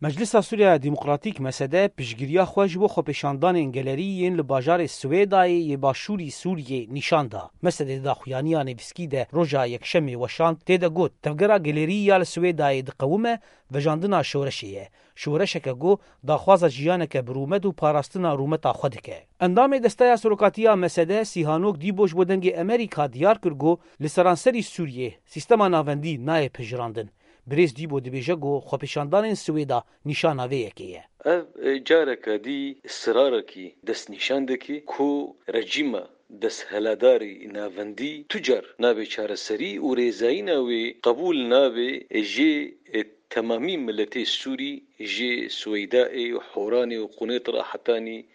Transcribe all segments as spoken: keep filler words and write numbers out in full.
Meclisa Sûriya Demokratîk, M S D, piştgiriya xwe ji bo xwepêşandanên gelerî yên li bajarê Swêdayê yê başûrî Sûriyê nîşan da. M S D di daxuyaniya nivîskî de roja Yekşemê weşand, tê de got, tevgera gelerî ya li Swêdayê diqewime, vejandina şoreşê ye. Şoreşeke ku daxwaza jiyaneke bi rûmet û parastina rûmeta xwe dike. Endamê Desteya Serokatiya M S D Sîhanok Dîbo ji bo Dengê Amerîka diyar kir ku li seranserî Sûriyê sîstema navendî nayê pejirandin. Birêz Dîbo dibêje ku xwepêşandanên Swêda nîşana vê yekê ye. Ev, e, careke dî sirarekî destnîşan dike ku rejîma destheladarî navendî tu car nabe çareserî û rêzayîna wê qebûl nabe ji, e, temamî miletê Sûrî, ji Swêdaê û Horanê û Qunêtra hetanî,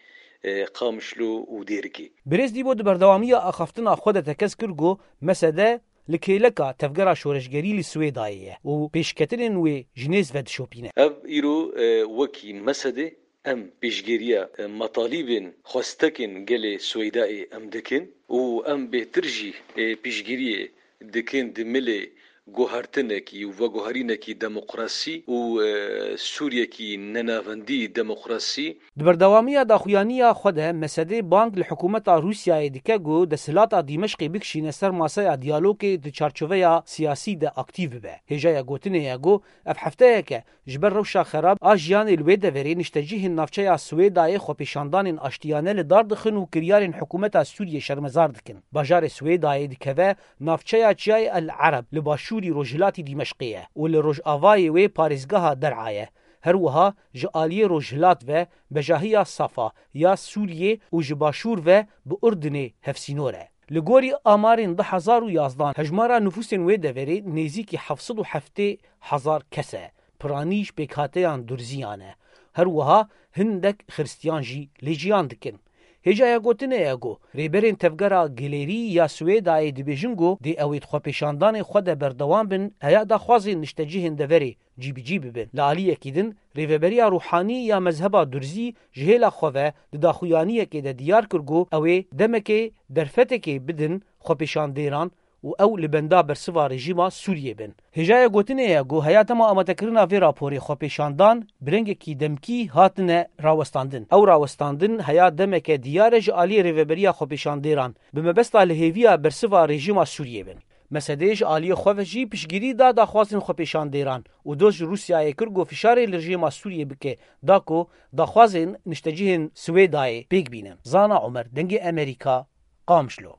e, Qamişlo û Dêrikê. Birêz Dîbo di berdewamiya axaftina xwe de tekez kir ku M S D li kêleka tevgera şoreşgerî li Swêdayê ye û pêşketinên wê ji nêz ve dişopîne. Ev îro, e, wekî M S D em pêşgeriya, e, metalîbên xwestekên gelê Swêdayê em dikin û em bêhtir jî, e, piştgiriyê dikin di milê guhertinekî û veguherînekî demokrasî û, e, Sûriyekî nenavendî demokrasî. Di berdewamiya daxuyaniya xwe de M S D bang li hikûmeta Rûsyayê dike ku desthilata Dîmeşqê bikişîne ser masaya diyalogê di çarçoveya siyasî de aktîf bibe. Hêjaya gotinê ye ku ev hefteyeke ji ber rewşa xerab a jiyanê li wê deverê niştecihên navçeya Swêdayê xwepêşandanên aştiyane li dar dixin û kiryarên hikûmeta Sûriyê şermezar dikin. Bajarê Swêdayê dikeve navçeya Çiyayê El Ereb li başûrî rojhilatî Dîmeşqê ye û li rojavayê wê parêzgeha Der'a ye. Her wiha ji aliyê rojhilat ve bejahiya Safa ya Sûriyê û ji başûr ve bi Urdinê hevsînor e. Li gorî amarên du hezar û yazdan, hejmara nifûsên wê deverê nêzîkî heft sed û heftê hezar kes e. Piranî ji pêkhateyan durziyan e. Her wiha hindek xiristiyan jî lê jiyan dikin. Hêjaya gotinê ye ku rêberên tevgera Gelêrî ya Swêdayê dibêjin ku dê ew ê di xwepêşandanê xwe de berdewam bin, heya daxwazên niştecihên deverê cîbicî bibin. Li aliyekî din, Rêveberiya Ruhanî ya Mezheba Durzî ji hêla xwe ve di daxuyaniyekê de diyar kir ku ew ê demekê derfetekê bidin xwepêşandêran û ew li benda bersiva rejîma Sûriyê bin. Hêjaya gotinê ye ku heya dema amadekirina vê raporê xwepêşandan bi rengekî demkî hatine rawestandin. Ew rawestandin heya demeke diyar e ji aliyê Rêveberiya Xwepêşandêran bi mebesta lihêviya bersiva rejîma Sûriyê bin. M S D ji aliyê xwe ve jî piştgirî da daxwazên xwepêşandêran û doz ji Rûsyayê kir ku fişarê li rejîma Sûriyê bike, da ku daxwazên niştecihên Swêdayê pêk bînin. Zana Omer, Dengê Amerîka, Qamişlo.